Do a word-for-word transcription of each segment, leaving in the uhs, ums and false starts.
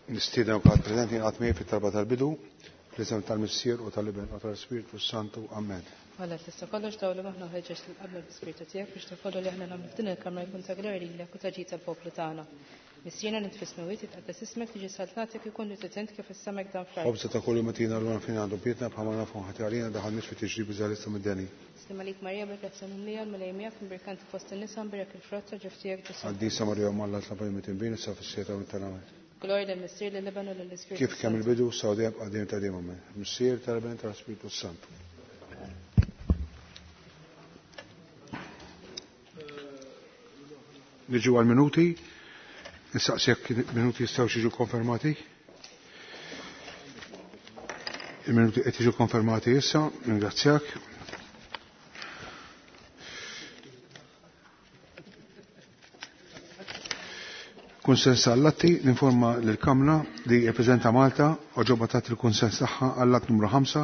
Nistieden kulħadd preżenti jingħaqad miegħi fit-talba tal-bidu, fl-isem tal-Missier u tal-Iben u tal-Ispirtu Santu. Amen. Alla tista' kollox dawlu aħna ħeġġeġ lil qabel bl-Ispirtu tiegħek biex ta' kollu li aħna nagħmlu f'din il-kamra jkun ta' glorja lilek u ta' ġid tal-poplu tagħna. Missierna li fis-smewwiet jitqaddes ismek tiġi saltnatek ikun li titent kif is-samek dan fl-art. Ħobża ta' kull jum tina l fejn għandu bietna bħalma nafu ħati għalina daħal fi tiġrib iżgħalissa mid-deni. Slim għalik Marija bil-grazzja mimlija l-Mulej miegħek imbirkanti fost in-nisa mbirek il-frott ta' ġuf tiegħek Ġesù. Qaddisa Marija Omm Alla tlab għal midinbin issa fis-siegħa tal-mewt tagħna. Glorja lill-Missier lill-Iben u lill-Ispirtu. Kif kemm il-bidu sa dejjem qaddim ta' dejjem amen. Missier tal-Iben tal-Ispirtu Santu. Niġu għal minuti. Nistaqsi jekk minuti jistgħu jiġu konfermati. Il-minuti qed jiġu konfermati issa, ringrazzjak. Kunsens għall-atti, ninforma l-Kamra li jirrappreżenta Malta oġoba tat il-kunsens tagħha għall-att numru ħamsa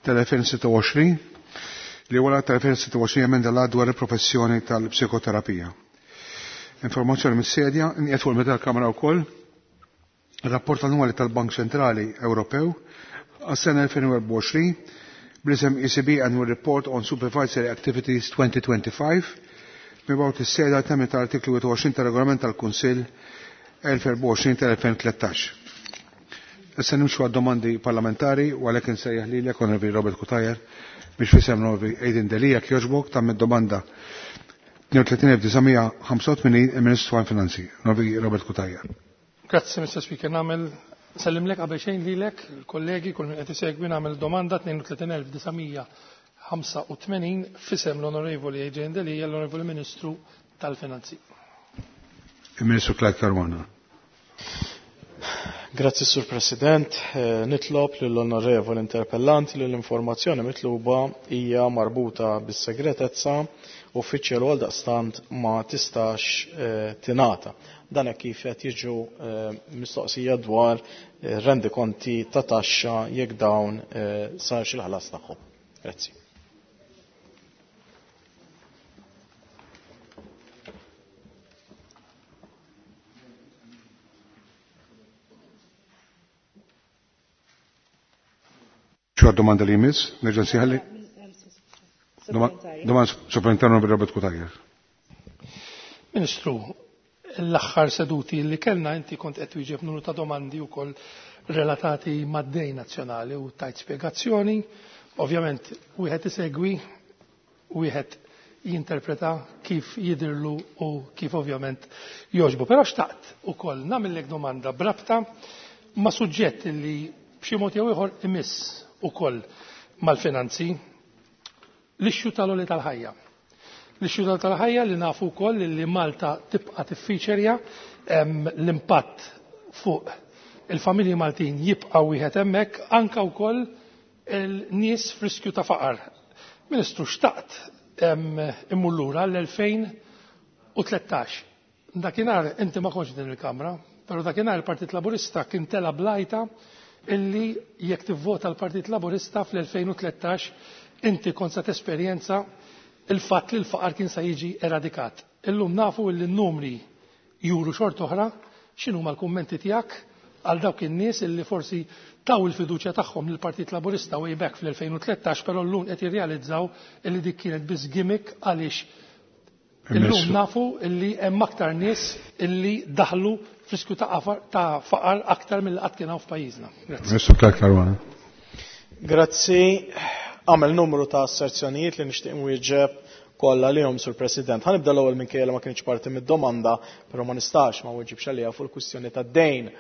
tal-elfejn sitta u għoxrin li huwa l-att tal-elfejn sitta u għoxrin emenda l-att dwar il-professjoni tal-psikoterapija. Informazzjoni mis-sedja, nqiegħed fuq il-meta tal-Kamra wkoll rapport annwali tal-Bank Ċentrali Ewropew għas-sena elfejn u erbgħa u għoxrin bl-isem E C B Annual Report on Supervisory Activities twenty twenty-five mibgħut is-seda temmi tal-artiklu wieħed u għoxrin tal-Regolament tal-Kunsill elf erbgħa u għoxrin tal-elfejn tlettax. Issa nimxu għad-domandi parlamentari u għalhekk insejjaħ lilek Onorevoli Robert Cutajar biex fisem Onorevoli Adrian Delia jogħġbok tagħmel domanda tnejn u tletin elf disa' mija ħamsa u tmenin il-Ministru għall-Finanzi, Onorevoli Robert Cutajar. Grazzi, Mister Speaker. Nagħmel sellimlek qabel xejn lilek, il-kollegi, kull min qed isegwi, nagħmel domanda tnejn u tletin elf disa' mija ħamsa u tmenin fisem l-Onorevoli Adrian Delia, l-Onorevoli Ministru tal-Finanzi. Il-Ministru Clyde Caruana. Grazzi, Sur President. Eh, nitlob lill-Onorevoli Interpellant li l-informazzjoni mitluba hija marbuta bis-segretezza uffiċjal għal daqstant ma tistax, eh, tingħata. Dan hekk kif qed jiġu, eh, mistoqsija dwar, eh, rendikonti ta' taxxa jekk dawn, eh, sarx il-ħlas tagħhom. Grazzi. Xo domanda li jmiss? Nerġa' nsieħalli? Domanda supplementari onorevoli Robert Cutajar. Ministru, l-aħħar seduti li kellna inti kont qed twieġeb numru ta' domandi wkoll relatati mad-dejn nazzjonali u tajt spjegazzjoni. Ovvjament wieħed isegwi, wieħed jinterpreta kif jidhirlu u kif ovvjament jogħġbu. Però xtaqt ukoll nagħmellek domanda brabta ma' suġġett li b'xi mod jew ieħor imiss ukoll mal-finanzi, l-ixxu tal-għoli tal-ħajja. L-ixxu tal-ħajja li nafu wkoll li Malta tibqa' tiffiċerja, em, l-impatt fuq il-familji Maltin jibqa' wieħed hemmhekk, anke wkoll il-nies f'riskju ta' faqar. Ministru, xtaqt, em, immur lura l-elfejn u tlettax. Dakinhar inti ma kontx din il-Kamra, però dakinhar il-Partit Laburista kien tela blajta illi jekk tivvota l-Partit Laburista fl-elfejn u tlettax inti kont sa tesperjenza il-fatt li l-faqar kien sa jiġi eradikat. Illum nafu illi n-numri juru xort oħra, x'inhuma l-kummenti tiegħek għal dawk in-nies illi forsi taw il-fiduċja tagħhom lill-Partit Laburista way back fl-elfejn u tlettax, però llum qed jirrealizzaw illi dik kienet biss gimmick għaliex illum nafu illi hemm aktar nies illi daħlu f'riskju ta' qafar, ta' faqar aktar mill qatt kien hawn f'pajjiżna. Grazzi. Ministru Clyde Caruana. Grazzi. Għamel numru ta' asserzjonijiet li nixtieq nwieġeb kollha lihom, Sur President. Ħa nibda l-ewwel minkejja li ma kienx parti mid-domanda, però ma nistax ma weġibx għaliha fuq il-kwistjoni tad-dejn.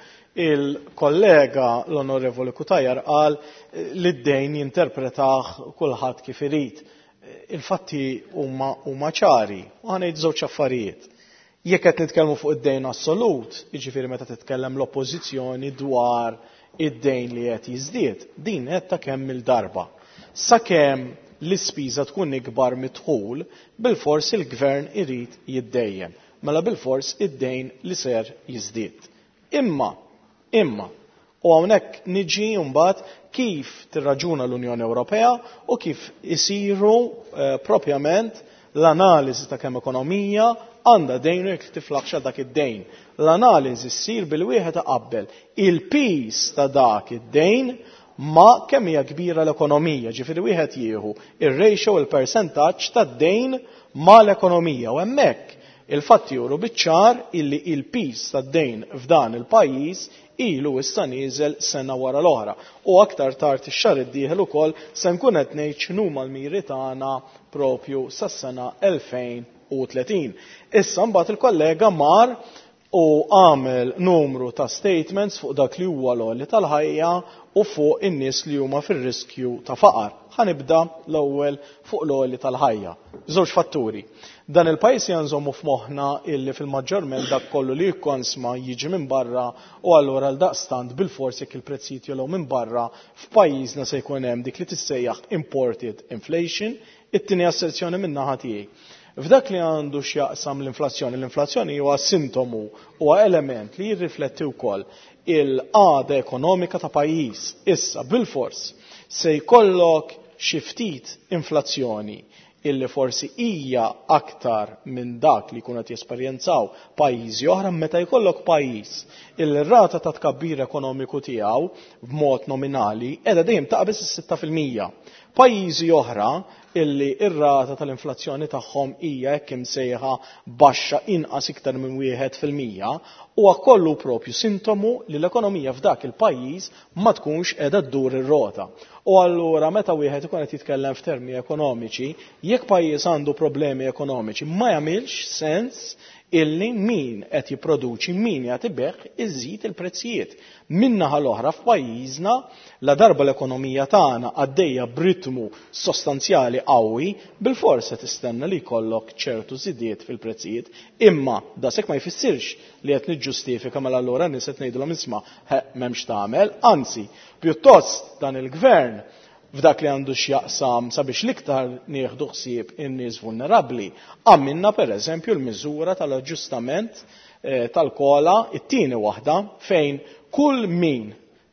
Il-kollega l-Onorevoli Cutajar qal li d-dejn jinterpretah kulħadd kif irid. Il-fatti huma, huma ċari u ħa ngħid żewġ affarijiet. Jekk qed nitkellmu fuq id-dejn assolut, jiġifieri meta titkellem l-oppożizzjoni dwar id-dejn li qed jiżdied, din qed ta' kemm il-darba. Sakemm l-ispiża tkun ikbar mid-dħul, bilfors il-gvern irid jiddejjem. Mela bilfors id-dejn li ser jiżdied. Imma, imma, u hawnhekk niġi mbagħad kif tirraġuna l-Unjoni Ewropea u kif isiru, eh, propjament l-analiżi ta' kemm ekonomija għandha dejn u jekk tiflaħx għal dak id-dejn. L-analiżi ssir bil wieħed iqabbel il-piż ta' dak id-dejn ma' kemm hija kbira l-ekonomija, ġifieri wieħed jieħu ir-ratio, il-persentaġġ tad-dejn ma' l-ekonomija, u hemmhekk il-fatti juru biċ-ċar illi il-piż tad-dejn f'dan il-pajjiż ilu issa nieżel sena wara l-oħra. U aktar tard ix-xahar id-dieħel ukoll se nkun qed ngħid x'inhuma l-miri tagħna propju sas-sena elfejn u tletin. Issa mbagħad il-kollega mar u għamel numru ta' statements fuq dak li huwa l-għoli tal-ħajja u fuq in-nies li huma fir-riskju ta' faqar. Ħa nibda l-ewwel fuq l-għoli tal-ħajja. Żewġ fatturi. Dan il-pajjiż janżommu f'moħħna illi fil-maġġorment dak kollu li jikkonsma jiġi minn barra, u allura għal daqstant bil-fors jekk il-prezzijiet jogħlew minn barra f'pajjiżna se jkun hemm dik li tissejjaħ imported inflation. It-tieni asserzjoni minn naħa tiegħi. F'dak li għandu x'jaqsam l-inflazzjoni, l-inflazzjoni huwa sintomu, huwa element li jirrifletti wkoll il-qagħda ekonomika ta' pajjiż. Issa bil-fors se jkollok xi ftit inflazzjoni illi forsi hija aktar minn dak li jkunu qed jesperjenzaw pajjiżi oħra, meta jkollok pajjiż illi r-rata ta' tkabbir ekonomiku tiegħu b'mod nominali qiegħda dejjem taqbeż is-sitta fil-mija. Pajjiżi oħra illi r-rata tal-inflazzjoni tagħhom hija hekk imsejħa baxxa inqas iktar minn wieħed fil-mija, huwa kollu propju sintomu li l-ekonomija f'dak il-pajjiż ma tkunx qiegħda ddur ir-rota. U allura meta wieħed ikun qed jitkellem f'termini ekonomiċi, jekk pajjiż għandu problemi ekonomiċi ma jagħmilx sens illi min qed jipproduċi, min qed ibeħ iżid il-prezzijiet. Min-naħa l-oħra f'pajjiżna, la darba l-ekonomija tagħna għaddejja b'ritmu sostanzjali qawwi, bil-forsa tistenna li jkollok ċertu żidiet fil-prezzijiet, imma da sekk ma jfissirx li qed niġġustifika mela allura nies qed ngħidulhom isma' m'hemmx tagħmel, anzi, pjuttost dan il-gvern f'dak li għandu x'jaqsam sabiex l-iktar nieħdu ħsieb in-nies vulnerabbli, għamilna pereżempju l-miżura tal-aġġustament, eh, tal-kola, it-tieni waħda, fejn kull min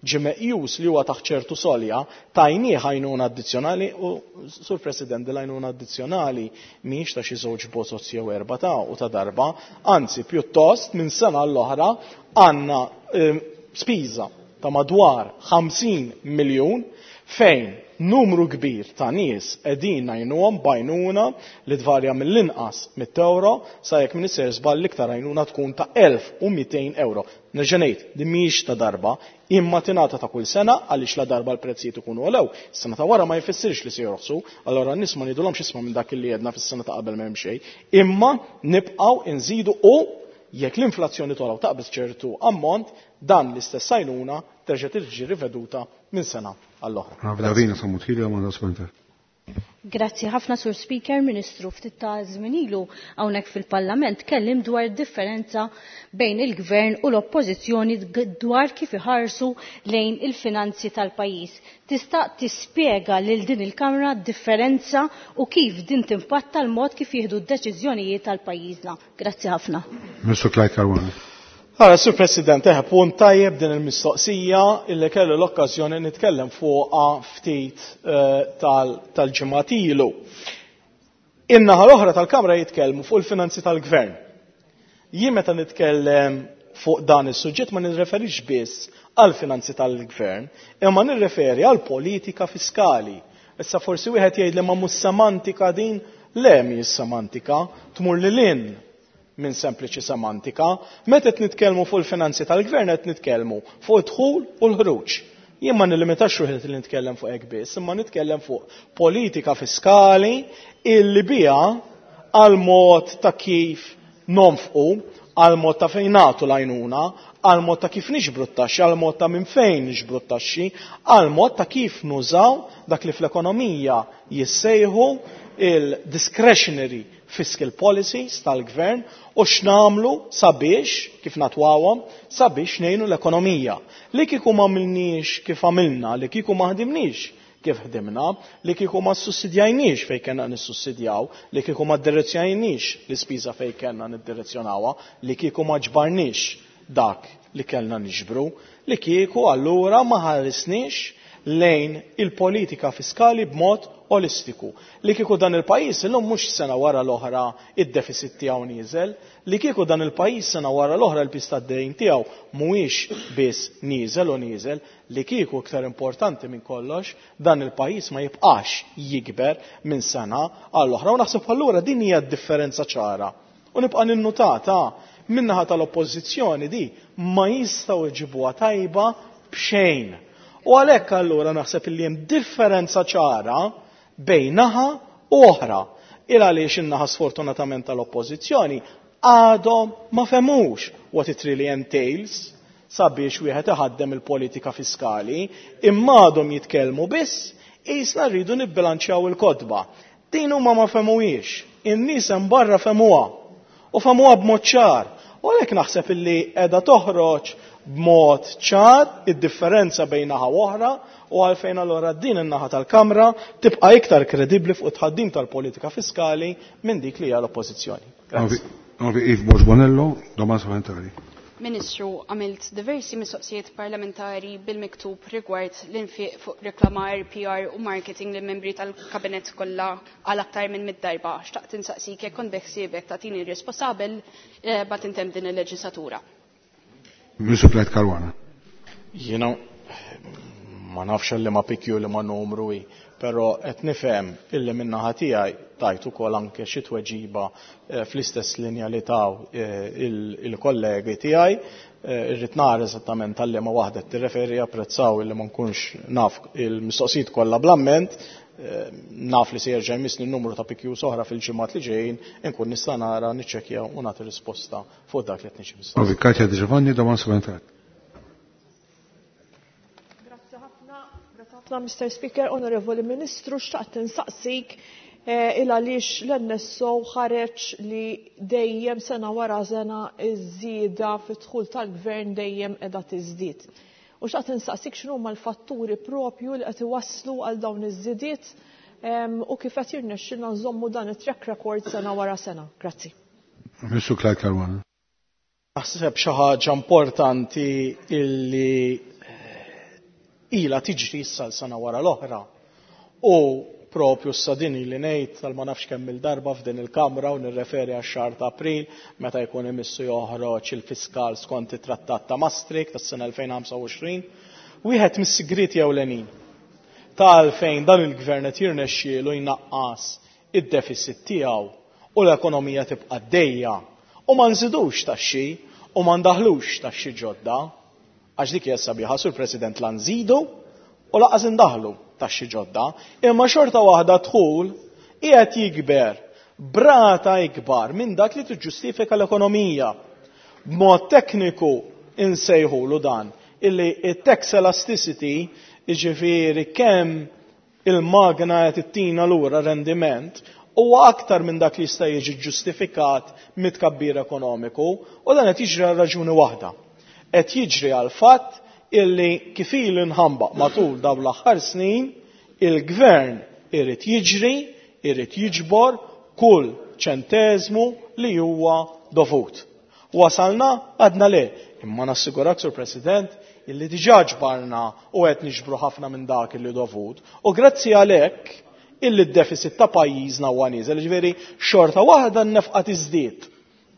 ġie meqjus li huwa taħt ċertu solja tajnieh għajnuna addizzjonali, u Sur President, l-għajnuna addizzjonali mhijiex ta' xi żewġ bozoz jew erba' ta' u ta' darba, anzi pjuttost minn sena l-oħra għandna, eh, spiża ta' madwar ħamsin miljun fejn numru kbir ta' nies qegħdin ngħinuhom b'għajnuna li tvarja mill-inqas mitt euro sa jekk min isir żball l-iktar għajnuna tkun ta' elf u mitejn euro. Nerġa' ngħid, din mhijiex ta' darba, imma tingħata ta' kull sena għaliex la darba l-prezzijiet ikunu għolew. Is-sena ta' wara ma jfissirx li se jorħsu, allura n-nies ma ngħidulhomx isma' minn dak li għedna fis-sena ta' qabel m'hemm xejn, imma nibqgħu nżidu u jekk l-inflazzjoni togħla u taqbeż ċertu ammont, dan l-istess għajnuna terġa' tiġi riveduta minn sena għall-oħra. Davina Sammut Hili, għamanda Spenter. Grazzi ħafna, Sur Speaker. Ministru, ftit ta' żmien ilu hawnhekk fil-Parlament kellim dwar differenza bejn il-Gvern u l-Oppożizzjoni dwar kif iħarsu lejn il-finanzi tal-pajjiż. Tista' tispjega lil din il-Kamra d-differenza u kif din timpatta l-mod kif jieħdu d-deċiżjonijiet tal-pajjiżna. Grazzi ħafna. Ministru Clyde Caruana. Ara, Sur President, eħe, punt tajjeb din il-mistoqsija illi kellu l-okkażjoni nitkellem fuqha ftit, eh, tal-, tal-ġimgħat ilu. In-naħa l-oħra tal-Kamra jitkellmu fuq il-finanzi tal-Gvern. Jien meta nitkellem fuq dan is-suġġett ma nirreferix biss għall-finanzi tal-Gvern, imma nirreferi għall-politika fiskali. Issa forsi wieħed jgħid li ma mhux semantika din, le mhijiex semantika, tmur lil hinn minn sempliċi semantika. Meta qed nitkellmu fuq il-finanzi tal-gvern qed nitkellmu fuq id-dħul u l-ħruġ. Jien ma nilimitax ruħi li nitkellem fuq hekk biss, imma nitkellem fuq politika fiskali illi biha għal mod ta' kif nonfqu, għal mod ta' fejn nagħtu l-għajnuna, għal mod ta' kif niġbru t-taxxi, għal mod ta' minn fejn niġbru t-taxxi, għal mod ta' kif nużaw dak li fl-ekonomija jissejħu il-discretionary fiscal policies tal-gvern u x'namlu sabiex, kif natwawhom, sabiex ngħinu l-ekonomija. Li kieku ma għamilniex kif għamilna, li kieku ma ħdimniex kif ħdimna, li kieku ma ssussidjajniex fejn kellna nissussidjaw, li kieku ma ddirezzjonajniex l-ispiża fejn kellna niddirezzjonawha, li kieku ma ġbarniex dak li kellna niġbru, li kieku allura ma ħarisniex lejn il-politika fiskali b'mod olistiku. Li kieku dan il-pajjiż illum mhux sena wara l-oħra id-deficit tiegħu nieżel, li kieku dan il-pajjiż sena wara l-oħra l-pis tad-dejn tiegħu mhuwiex biss nieżel u nieżel, li kieku iktar importanti minn kollox dan il-pajjiż ma jibqax jikber minn sena għall-oħra. U naħseb allura din hija d-differenza ċara. U nibqa' ninnutata min-naħa tal-oppożizzjoni di ma jistgħu jġibuha tajba b'xejn. U għalhekk allura naħseb li hemm differenza ċara bejn naħa u oħra. Il għaliex in-naħa sfortunatament tal-oppożizzjoni għadhom ma femux what it really entails sabiex wieħed iħaddem il-politika fiskali, imma għadhom jitkellmu biss qisna rridu nibbilanċjaw il-kotba. Din huma ma femuhiex, in-nies hemm barra femuha u femuha b'mod ċar. U għalhekk naħseb illi qiegħda toħroġ b'mod ċar id-differenza bejn naħa u oħra, u għalfejn allura din in-naħa tal-Kamra tibqa' iktar kredibbli fuq it-tħaddim tal-politika fiskali minn dik li hija l-Oppożizzjoni. Grazzi. Onorevoli Eve Borg Bonello, domanda supplementari. Ministru, għamilt diversi mistoqsijiet parlamentari bil-miktub rigward l-infiq fuq reklamar, P R u marketing li membri tal-kabinet kollha għal aktar minn mid darba. Xtaqt insaqsik jekk kont beħsiebek tagħtini risposta qabel, eh, ma tintemm din il-leġislatura. Ministru Clyde Caruana. Jiena ma nafx li ma pikju li ma numru hi, però qed nifhem illi min-naħa tiegħi tajt ukoll anke xi tweġiba, eh, fl-istess linja li taw, eh, il-, il-kollegi tiegħi. Eh, irrid nara eżattament tal-li ma waħda qed tirreferi, apprezzaw illi ma nkunx naf il-mistoqsijiet kollha bl-amment, eh, naf li se jerġa' jmissni n-numru ta' P Qs oħra fil-ġimgħat li ġejjin, inkun nista' nara, niċċekkja u nagħti risposta fuq dak li qed niġi mistoqsi. Onorevoli Katja Di Giovanni, domanda supplementari. Grazzi ħafna, grazzi ħafna, Mister Speaker, Onorevoli Ministru, xtaqt insaqsik, eh, il għaliex l-N S O ħareġ li dejjem sena wara sena iż-żieda fid-dħul tal-gvern dejjem qiegħda tiżdied. U xtaqt insaqsik x'inhuma l-fatturi propju li qed iwasslu għal dawn iż-żidiet, em, u kif qed jirnexxilna nżommu dan it-track record sena wara sena. Grazzi. Ministru Clyde Caruana. Naħseb xi ħaġa importanti illi ilha tiġri issa l-sena wara l-oħra u propju sa din li ngħid tal ma nafx kemm il-darba f'din il-Kamra u nirreferi għax-xahar ta' April meta jkun imissu joħroġ il-fiskal skont it-Trattat ta' Maastricht tas-sena elfejn ħamsa u għoxrin, wieħed mis-sigrieti ewlenin ta' għalfejn dan il-gvern qed jirnexxielu jnaqqas id-deficit tiegħu u l-ekonomija tibqa' għaddejja u ma nżidux taxxi u ma ndaħlux taxxi ġodda, għax dik hija sabiħa, Sur President, la nżidu u laqas indaħlu taxxi ġodda, imma xorta waħda dħul qiegħed jikber brata ikbar minn dak li tiġġustifika l-ekonomija. B'mod tekniku insejħulu dan illi it-tax elasticity, jiġifieri kemm il-magna qed ittina lura rendiment, huwa aktar minn dak li jista' jiġi ġustifikat mit-tkabbir ekonomiku, u dan qed jiġri għal raġuni waħda. Qed jiġri għal fatt illi kif ilu nħambaq matul dawn l-aħħar snin, il-gvern irid jiġri, irid jiġbor kull ċenteżmu li huwa dovut. Wasalna għadna le, imma nassigurak, Sur President, illi diġà ġbarna u qed niġbru ħafna minn dak illi dovut, u grazzi għalhekk illi d-deficit ta' pajjiżna huwa nieżel, ġifieri xorta waħda n-nefqa tiżdied.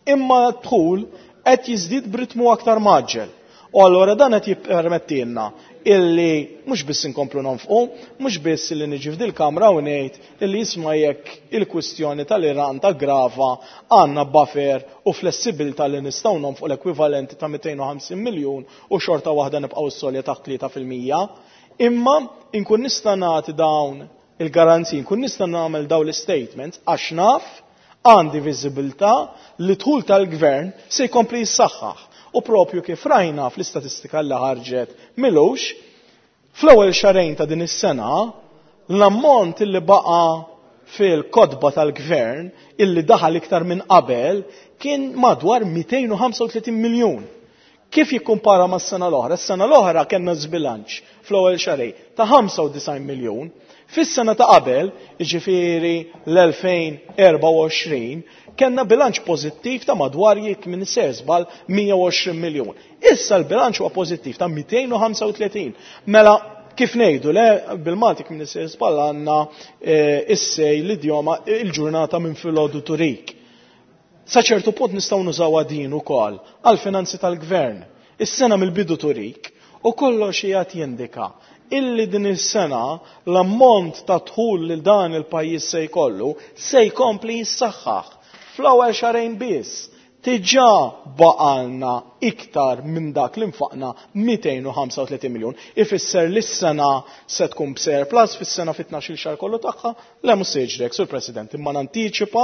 Imma d-dħul qed jiżdied b'ritmu aktar maġġel. U allura dan qed jippermettilna illi mhux biss inkomplu nonfqu, mhux biss illi niġi f'dil kamra u ngħid illi jisma' jekk il-kwistjoni tal-Iran ta' grava għandna buffer u flessibilità li nistgħu nonfqu l-ekwivalenti ta' mitejn u ħamsin miljun u xorta waħda nibqgħu s-solja taħt tlieta fil-mija, imma inkun nista' nagħti dawn il-garanziji, nkun nista' nagħmel dawn l-statements għax naf għandi viżibilità li dħul tal-gvern se jkompli jissaħħaħ. U propju kif rajna fl-istatistika li ħarġet milux, fl-ewwel xahrejn ta' din is-sena l-ammont illi baqa' fil-kotba tal-gvern illi daħal iktar minn qabel kien madwar mitejn u ħamsa u tletin miljun. Kif jikkumpara mas-sena l-oħra? Is-sena l-oħra kellna żbilanċ fl-ewwel xahrejn ta' ħamsa u disgħin miljun. Fis-sena ta' qabel, jiġifieri l-elfejn erba' u għoxrin, kellna bilanċ pożittiv ta' madwar jekk minn żball mija u għoxrin miljun. Issa l-bilanċ huwa pożittiv ta' mitejn u ħamsa u tletin. Mela Kif ngħidu le bil-Malti kif nisir żball għandna issej l-idjoma il-ġurnata minn filgħodu turik. Sa ċertu punt nistgħu nużawha din ukoll għall-finanzi tal-gvern. Is-sena mill-bidu turik u kollox qiegħed jindika illi din is-sena l-ammont ta' dħul lil dan il-pajjiż se jkollu se jkompli jissaħħaħ. Fl-ewwel xahrejn biss diġà baqalna iktar minn dak li nfaqna mitejn u ħamsa u tletin miljun. Ifisser li s-sena se tkun b'surplus fis-sena fi tnax-il xahar kollu tagħha, le mhux se jiġri hekk, Sur President, imma nantiċipa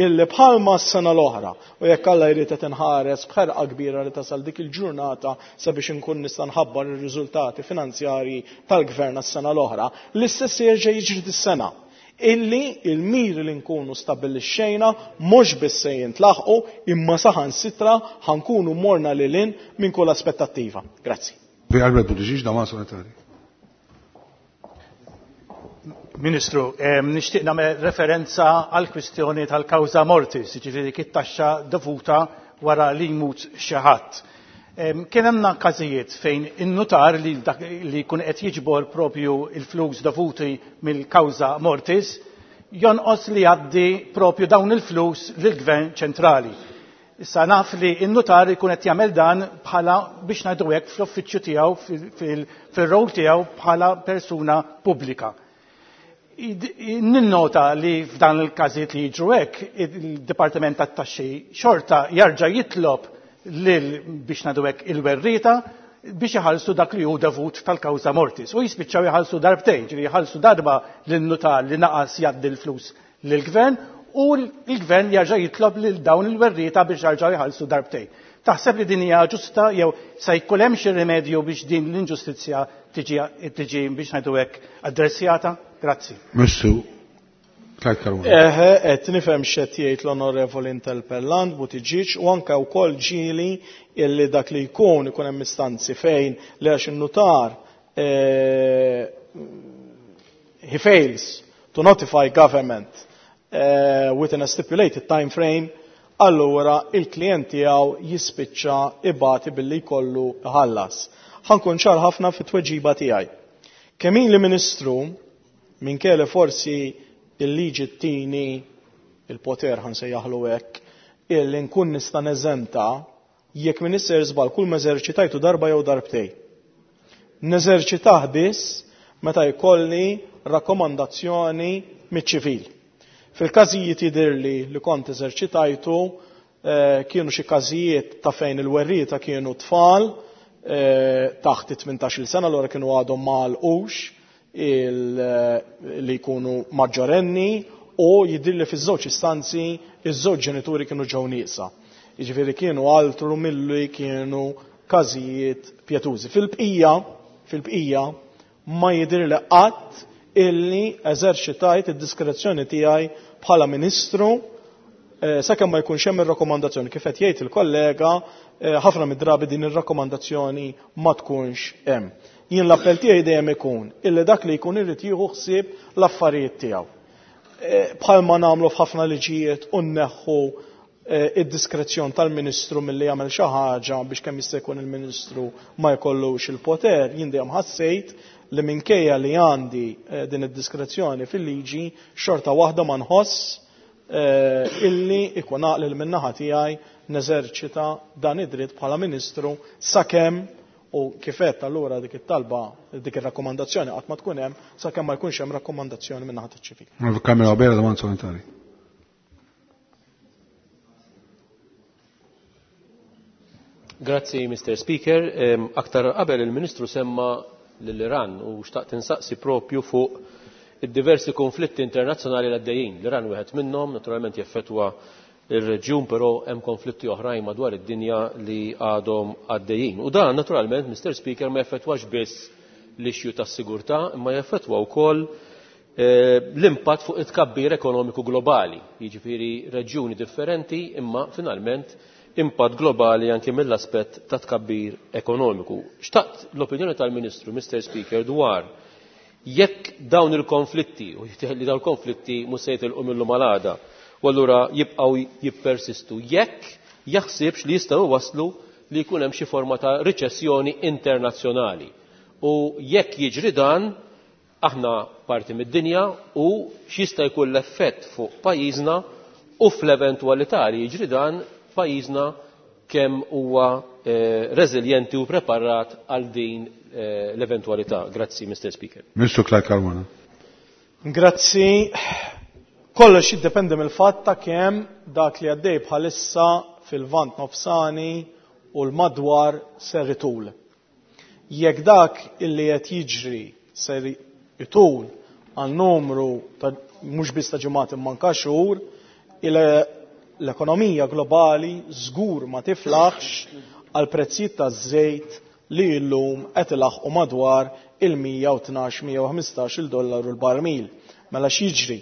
illi bħalma s-sena l-oħra u jekk Alla jrid qed inħares b'ħerqa kbira li tasal dik il-ġurnata sabiex inkun nista' nħabbar ir-riżultati finanzjarji tal-gvern għas-sena l-oħra, l-istess se jerġa' jiġri dis-sena. Illi il-miri li nkunu stabilixxejna mhux biss se jintlaħqu imma saħansitra ħankunu morna lil hinn minn kull aspettattiva. Grazzi. Albert Buttigieg, domanda supplementari. Ministru, em, nixtieq nagħmel referenza għal kwistjoni tal-kawża mortis, jiġifieri dik it-taxxa dovuta wara li jmut xi ħadd. Em, kien hemm każijiet fejn in-nutar li dak li jkun qed jiġbor propju il-flus dovuti mill-kawża mortis jonqos li jgħaddi propju dawn il-flus lill-Gvern ċentrali. Issa naf li n-nutar ikun qed jagħmel dan bħala biex ngħidu hekk fl-uffiċċju tiegħu fil-, fil-rol tiegħu bħala persuna pubblika. Ninnota li f'dan il-każijiet li jiġru hekk, il-Dipartiment tat-Taxxi xorta jarġa' jitlob lil biex ngħidu hekk il-werrieta biex iħallsu dak li hu dovut tal-kawża mortis. U jispiċċaw iħallsu darbtejn, ġifieri jħallsu darba lin-nutar li naqas jgħaddi l-flus lill-gvern u l-gvern jarġa' jitlob lil dawn il-werrieta biex jarġgħu jħallsu darbtejn. Taħseb li din hija ġusta jew se jkun hemm xi rimedju biex din l-inġustizzja tiġi, tiġi biex ngħidu hekk addressjata? Grazzi. Missu, Clyde Caruana. Eħe, qed nifhem x'qed jgħid l-Onorevoli Interpellant Buttigieg u anke wkoll ġieli illi dak li jkun ikun hemm istanzi fejn li għax in-nutar, eh, he fails to notify government, eh, within a stipulated time frame, allura il-klient tiegħu jispiċċa ibati billi jkollu iħallas. Ħankun ċar ħafna fit-tweġiba tiegħi. Kemm ili Ministru, minkejja forsi il-liġi tini il-poter ħan sejjaħlu hekk, illi nkun nista' neżenta jekk min isser żball kull ma eżerċitajtu darba jew darbtej. Neżerċitah biss meta jkolli rakkomandazzjoni miċ-ċivil. Fil-każijiet jidhirli li kont eżerċitajtu, eh, kienu xi każijiet ta' fejn il-werrieta kienu tfal, eh, taħt it-tmintax-il sena, allura kienu għadhom ma għalqux il-, li jkunu maġġorenni u jidhirli fiż-żewġ istanzi iż-żewġ ġenituri kienu ġew nieqsa. Jiġifieri kienu altru milli kienu każijiet pjetużi. Fil-bqija, fil-bqija ma jidhirli qatt illi eżerċitajt id-diskrezzjoni tiegħi bħala ministru, eh, sakemm ma jkunx hemm ir-rakkomandazzjoni. Kif qed jgħid il-kollega, eh, ħafna mid-drabi din ir-rakkomandazzjoni ma tkunx hemm. Jien l-appell tiegħi dejjem ikun illi dak li jkun irid jieħu ħsieb l-affarijiet tiegħu. Eh, bħalma nagħmlu f'ħafna liġijiet u nneħħu, eh, id-diskrezzjon tal-Ministru milli jagħmel xi ħaġa biex kemm jista' jkun il-Ministru ma jkollux il-poter, jien dejjem ħassejt li minkejja li għandi, eh, din id-diskrezzjoni fil-liġi xorta waħda ma nħoss, eh, illi ikun għaqli li min-naħa tiegħi neżerċita dan id-dritt bħala Ministru sakemm u kif għedt allura dik it-talba, dik ir-rakkomandazzjoni qatt ma tkun hemm sakemm ma jkunx hemm rakkomandazzjoni min-naħa taċ-ċivil. Kamera Bera, domanda supplementari. Grazzi, Mister Speaker. Em, aktar qabel il-Ministru semma lill-Iran u xtaqt insaqsi propju fuq id-diversi konflitti internazzjonali l għaddejjin. L-Iran wieħed minnhom, naturalment jeffettwa ir-reġjun, però hemm konflitti oħrajn madwar id-dinja li għadhom għaddejjin. U dan naturalment, Mister Speaker, ma jeffettwax biss l-issue tas-sigurtà, imma jeffettwa wkoll, eh, l-impatt fuq it-tkabbir ekonomiku globali, jiġifieri reġjuni differenti, imma finalment impatt globali anke mill-aspett ta' tkabbir ekonomiku. Xtaqt l-opinjoni tal-Ministru, Mister Speaker, dwar jekk dawn il-konflitti, u jidher li dawn il-konflitti mhux se jitilqu mill-lum għal għada, u allura jibqgħu jippersistu, jekk jaħsibx li jistgħu waslu li jkun hemm xi forma ta' riċessjoni internazzjonali. U jekk jiġri dan, aħna parti mid-dinja u x'jista' jkun l-effett fuq pajjiżna u fl-eventwalità li jiġri dan, pajjiżna kemm huwa eh, reżiljenti u preparat għal din eh, l-eventwalità. Grazzi, Mister Speaker. Ministru Clyde Caruana. Grazzi. Kollox jiddependi mill-fatt ta' kemm dak li għaddej bħalissa fil-Lvant Nofsani u l-madwar ser itul. Jekk dak illi qed jiġri ser itul għal numru ta' mhux biss ta' ġimgħat imma anke xhur, l-ekonomija globali żgur ma tiflaħx għal prezzijiet taż-żejt li llum qed ilaħqu madwar il-mija u tnax, mija u ħmistax il dollaru l-barmil. Mela x'jiġri?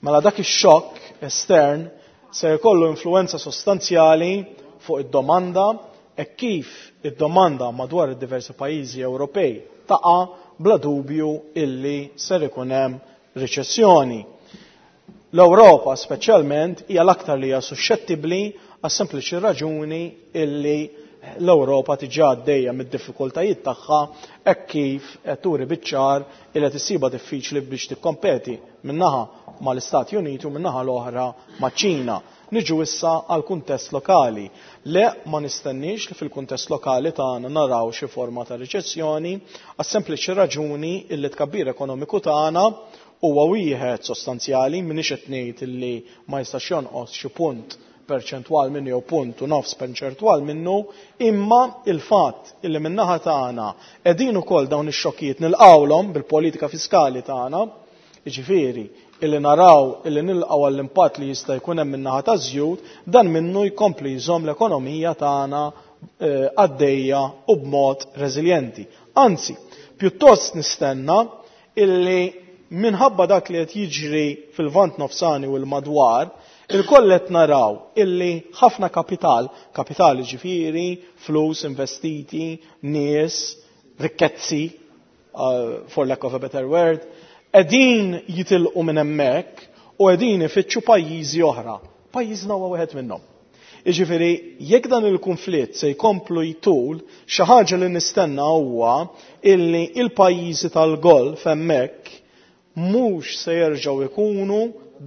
Mela dak ix-xokk estern se jkollu influenza sostanzjali fuq id-domanda e kif id-domanda madwar id-diversi pajjiżi Ewropej taqa' bla dubju illi ser ikun hemm riċessjoni. L-Ewropa speċjalment hija l-aktar li hija suscettibbli għas sempliċi raġuni illi l-Ewropa diġà għaddejja mid-diffikultajiet tagħha hekk kif qed turi biċ-ċar illi qed issibha diffiċli biex tikkompeti min-naħa mal-Istati Uniti u min-naħa l-oħra maċ-Ċina. Niġu issa għal kuntest lokali. Le, ma nistenniex li fil-kuntest lokali tagħna naraw xi forma ta' riċessjoni għas sempliċi raġuni illi tkabbir ekonomiku tagħna huwa wieħed sostanzjali, m'iniex qed ngħid illi ma jistax jonqos xi punt perċentwal minnu jew punt u nofs perċentwal minnu, imma il-fatt illi min-naħa tagħna qegħdin ukoll dawn ix-xokkijiet nilqawlhom bil-politika fiskali tagħna, jiġifieri illi naraw illi nilqgħu għall-impatt li jista' jkun hemm min-naħa taż-żjud, dan minnu jkompli jżomm l-ekonomija tagħna, eh, għaddejja u b'mod reżiljenti. Anzi, pjuttost nistenna illi minħabba dak li qed jiġri fil-Lvant Nofsani u l-madwar, il-koll qed naraw illi ħafna kapital, kapital ġifieri, flus investiti, nies, rikkezzi, uh, for lack of a better word, qegħdin jitilqu minn hemmhekk u qegħdin ifittxu pajjiżi oħra. Pajjiżna huwa wieħed minnhom. Jiġifieri, jekk dan il-konflitt se jkomplu jtul, xi ħaġa li nistenna huwa illi il-pajjiżi tal-Golf hemmhekk mhux se jerġgħu jkunu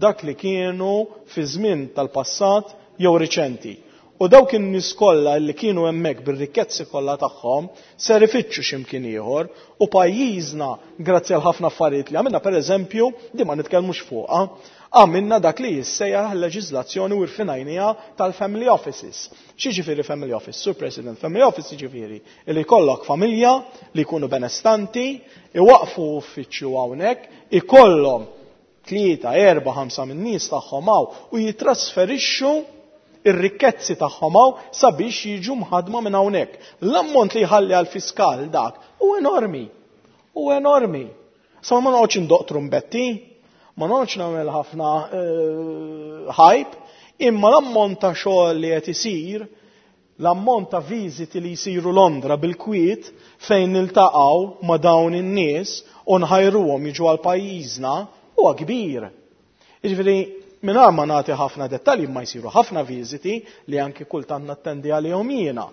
dak li kienu fi żmien tal-passat jew riċenti. U dawk in-nies kollha li kienu hemmhekk bir-rikkezzi kollha tagħhom ser ifittxu x'imkien ieħor u pajjiżna grazzi għal ħafna affarijiet li għamilna, pereżempju, di ma nitkellmux fuqha, għamilna dak li jissejjaħ leġiżlazzjoni u rfinajnija tal-family offices. X'jiġifieri family office? Sur President, family office jiġifieri li jkollok familja li jkunu benestanti, iwaqfu uffiċċju hawnhekk, ikollhom tlieta, erba', ħamsa minn nies tagħhom hawn u jitrasferixxu ir-rikkezzi tagħhom hawn sabiex jiġu mħadma minn hawnhekk. L-ammont li jħalli għall-fiskal dak hu enormi. Hu enormi. Sa ma noqgħodx indoq trumbetti, ma noqgħodx nagħmel ħafna, eh, hype, imma l-ammont ta' xogħol li qed isir, l-ammont ta' viżiti li jsiru Londra bil-kwiet fejn niltaqgħu ma' dawn in-nies u nħajruhom jiġu għal pajjiżna huwa kbir. Jiġifieri, mingħajr ma nagħti ħafna dettalji, ma jsiru ħafna viżiti li anki kultant nattendi għalihom jiena.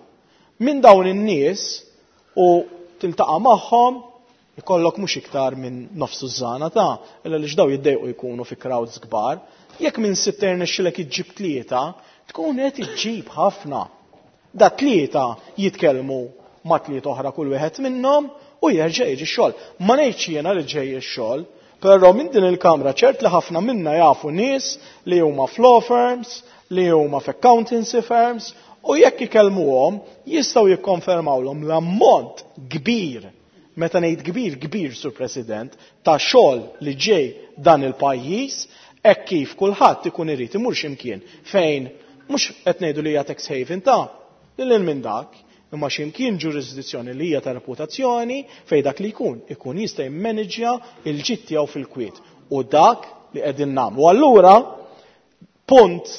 Minn dawn in-nies u tiltaqa' magħhom ikollok mhux iktar minn nofs użana ta' illa li x'daw jiddejqu jkunu fi crowds kbar. Jekk minn sitt irnexxilek iġġib tlieta, tkun qed iġġib ħafna. Da tlieta jitkellmu ma' tlieta oħra kull wieħed minnhom u jerġa' jiġi x-xogħol. Ma ngħidx jiena li ġej ix-xogħol, però minn din il-kamra ċert li ħafna minna jafu nies li huma f'law firms, li huma f'accountancy firms, u jekk ikellmuhom jistgħu jikkonfermawlhom l-ammont kbir, meta ngħid kbir, kbir, Sur President, ta' xogħol li ġej dan il-pajjiż, hekk kif kulħadd ikun irid imur x'imkien fejn mhux qed ngħidu li hija tax haven ta' lil hinn minn dak, imma x'imkien ġurisdizzjoni li hija ta' reputazzjoni fejn dak li jkun ikun jista' jimmaneġġja l-ġid tiegħu fil-kwiet. U dak li qegħdin nagħmlu. Allura punt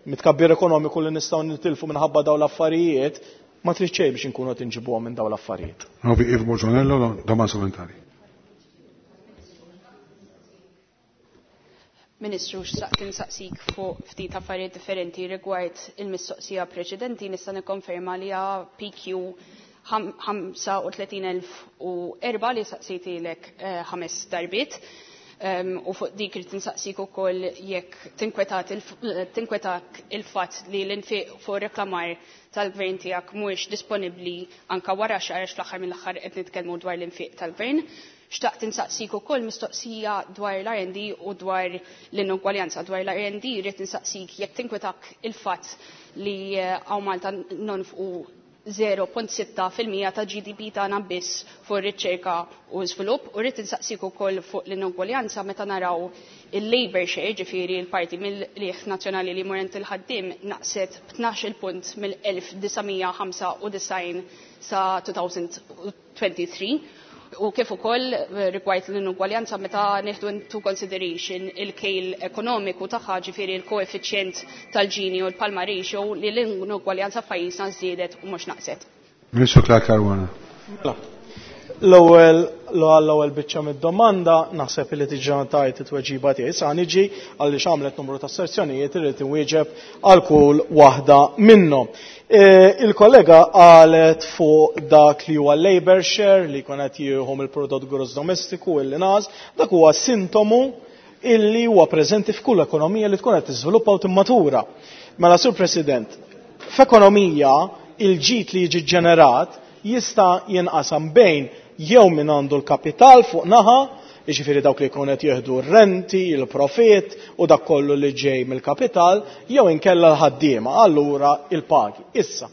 mitkabbir ekonomiku li nistgħu nitilfu minħabba dawn l-affarijiet ma trid xejn biex inkunu qed inġibuhom minn dawn l-affarijiet. Novi Ivo Borġonello, domanda supplementari. Ministru, xtaqt insaqsik fuq ftit affarijiet differenti rigward il-mistoqsija preċedenti. Nista' nikkonferma li hija P Q ħamsa u tletin elf u erba' li saqsejtilek ħames darbiet. U fuq dik irid insaqsik ukoll jekk tinkwetak il-fatt li l-infiq fuq reklamar tal-gvern tiegħek mhuwiex disponibbli anka wara xahar, għax fl-aħħar mill-aħħar qed nitkellmu dwar l-infiq tal-gvern. Xtaqt insaqsik ukoll mistoqsija dwar l-R and D u dwar l-inugwaljanza. Dwar l-R and D rrid insaqsik jekk tinkwetak il-fatt li hawn Malta nonfqu zero punt sitta fil-mija ta' G D P tagħna biss fuq riċerka u żvilupp, u rrid insaqsik ukoll fuq l-inugwaljanza meta naraw il-labor share, ġifieri l-parti mill-qligħ nazzjonali li jmur għand il-ħaddiem naqset b'tnax-il punt mill-elf disa' mija ħamsa u disgħin sa two thousand twenty-three. U kif ukoll rigward l-inugwaljanza meta nieħdu into consideration il-kejl ekonomiku tagħha, ġifieri l-koeffiċjent tal-Gini u l-Palma ratio, li l-inugwaljanza f'pajjiżna żdiedet u mhux naqset. Ministru Clyde Caruana. L-ewwel l-ewwel biċċa mid-domanda naħseb li diġà tajt it-tweġiba tiegħi. Issa niġi għaliex għamlet numru ta' asserzjonijiet irrid inwieġeb għal kull waħda minnhom. E, il-kollega qalet fuq dak li huwa labor share li jkun qed jieħu mill-prodott gross domestiku illi naqas, dak huwa sintomu illi huwa preżenti f'kull ekonomija li tkun qed tiżviluppa u timmatura. Mela, Sur President, f'ekonomija il-ġid li jiġi ġenerat jista' jinqasam bejn jew min għandu l-kapital fuq naħa, jiġifieri dawk li jkunu qed jieħdu r-renti, il-profit u dak kollu li ġej mill-kapital, jew inkella l-ħaddiema, allura il-pagi. Issa,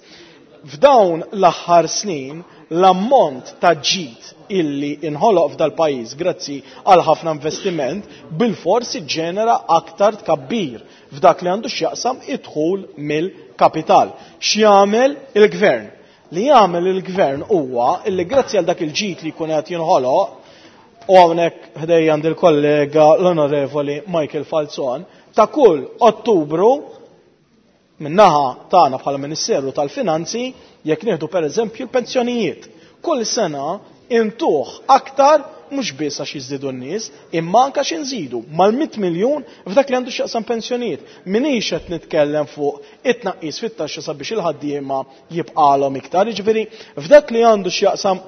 f'dawn l-aħħar snin l-ammont ta' ġid illi inħoloq f'dal-pajjiż grazzi għal ħafna investiment bil-fors iġġenera aktar tkabbir f'dak li għandu x'jaqsam id-dħul mill-kapital. X'jagħmel il-gvern? Li jagħmel il-gvern huwa illi grazzi għal dak il-ġid li jkun qed jinħoloq, u hawnhekk ħdejja għand il-kollega l-Onorevoli Michael Falzon, ta' kull Ottubru min-naħa tagħna bħala Ministeru tal-Finanzi, jekk nieħdu pereżempju l-pensjonijiet, kull sena intuħ aktar mhux biss għax jiżdiedu n-nies, imma anke għax inżidu mal-mitt miljun f'dak li għandu x'jaqsam pensjonijiet. Minix qed nitkellem fuq it-tnaqqis fit-taxxa sabiex il-ħaddiema jibqalhom iktar. Jiġifieri f'dak li għandu x'jaqsam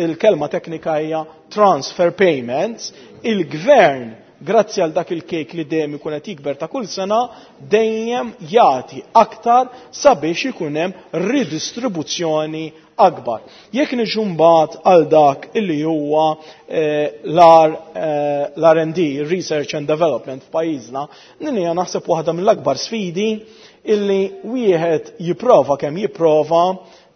il-kelma teknika hija transfer payments, il-gvern grazzi għal dak il-kejk li dejjem ikun qed jikber ta' kull sena dejjem jagħti aktar sabiex ikun hemm ridistribuzzjoni akbar. Jekk niġu mbagħad għal dak illi huwa, eh, eh, l-R and D, Research and Development f'pajjiżna, din hija naħseb waħda mill-akbar sfidi illi wieħed jipprova kemm jipprova